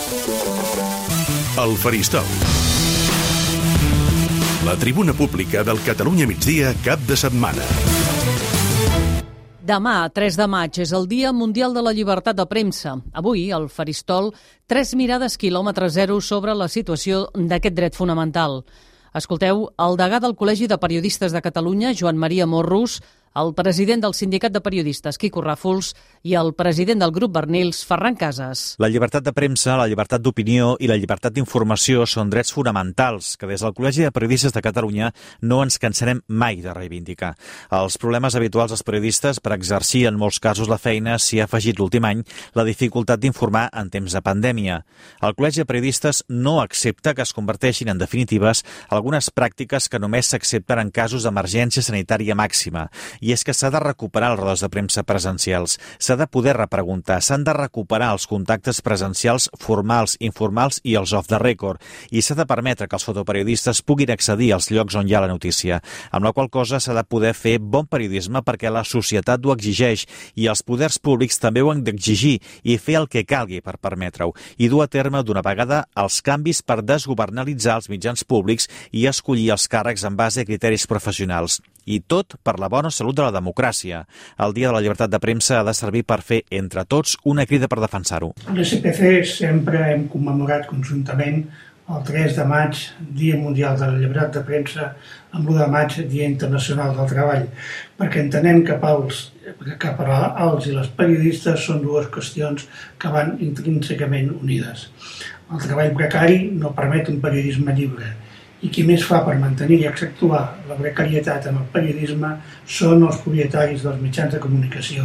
El Faristol. La tribuna pública del Catalunya Migdia cap de setmana. Demà, 3 de maig, és el Dia Mundial de la Llibertat de Premsa. Avui, al Faristol, 3 mirades quilòmetre zero sobre la situació d'aquest dret fonamental. Escolteu el degà del Col·legi de Periodistes de Catalunya, Joan Maria Morrus, el president del Sindicat de Periodistes, Quico Ràfols, i el president del grup Barnils, Ferran Casas. La llibertat de premsa, la llibertat d'opinió i la llibertat d'informació són drets fonamentals que des del Col·legi de Periodistes de Catalunya no ens cansarem mai de reivindicar. Els problemes habituals dels periodistes per exercir en molts casos la feina s'hi ha afegit l'últim any la dificultat d'informar en temps de pandèmia. El Col·legi de Periodistes no accepta que es converteixin en definitives algunes pràctiques que només s'accepten en casos d'emergència sanitària màxima. I és que s'ha de recuperar les rodes de premsa presencials, s'ha de poder repreguntar, s'han de recuperar els contactes presencials formals, informals i els off the record, i s'ha de permetre que els fotoperiodistes puguin accedir als llocs on hi ha la notícia, amb la qual cosa s'ha de poder fer bon periodisme perquè la societat ho exigeix i els poders públics també ho han d'exigir i fer el que calgui per permetre-ho, i dur a terme d'una vegada els canvis per desgovernalitzar els mitjans públics i escollir els càrrecs en base a criteris professionals. I tot per la bona salut de la democràcia. El Dia de la Llibertat de Premsa ha de servir per fer, entre tots, una crida per defensar-ho. A l'SPC sempre hem commemorat conjuntament el 3 de maig, Dia Mundial de la Llibertat de Premsa, amb l'1 de maig, Dia Internacional del Treball, perquè entenem que per als i les periodistes són dues qüestions que van intrínsecament unides. El treball precari no permet un periodisme lliure, i qui més fa per mantenir i accentuar la precarietat en el periodisme són els propietaris dels mitjans de comunicació,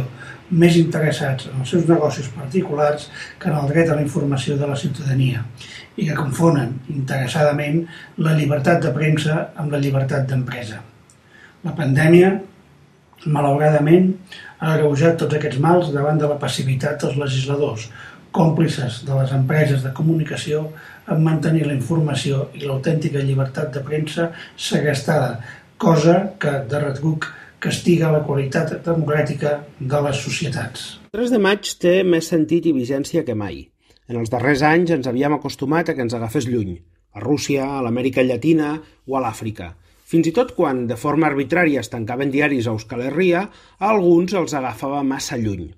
més interessats en els seus negocis particulars que en el dret a la informació de la ciutadania, i que confonen interessadament la llibertat de premsa amb la llibertat d'empresa. La pandèmia, malauradament, ha agreujat tots aquests mals davant de la passivitat dels legisladors, còmplices de les empreses de comunicació en mantenir la informació i l'autèntica llibertat de premsa segrestada, cosa que, de retruc, castiga la qualitat democràtica de les societats. El 3 de maig té més sentit i vigència que mai. En els darrers anys ens havíem acostumat a que ens agafés lluny, a Rússia, a l'Amèrica Llatina o a l'Àfrica. Fins i tot quan, de forma arbitrària, es tancaven diaris a Euskal Herria, a alguns els agafava massa lluny.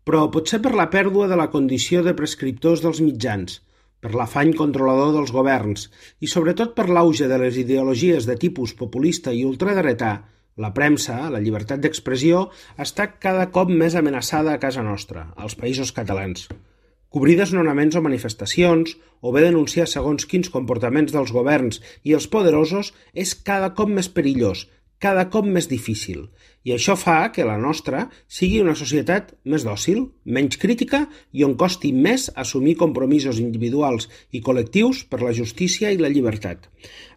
Però potser per la pèrdua de la condició de prescriptors dels mitjans, per l'afany controlador dels governs i sobretot per l'auge de les ideologies de tipus populista i ultradretà, la premsa, la llibertat d'expressió, està cada cop més amenaçada a casa nostra, als països catalans. Cobrir desnonaments o manifestacions, o bé denunciar segons quins comportaments dels governs i els poderosos és cada cop més perillós, cada cop més difícil, i això fa que la nostra sigui una societat més dòcil, menys crítica i on costi més assumir compromisos individuals i col·lectius per la justícia i la llibertat.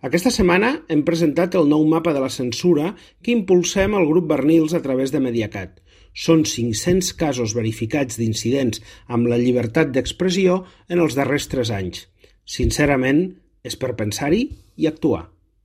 Aquesta setmana hem presentat el nou mapa de la censura que impulsem al grup Barnils a través de Mediacat. Són 500 casos verificats d'incidents amb la llibertat d'expressió en els darrers 3 anys. Sincerament, és per pensar-hi i actuar.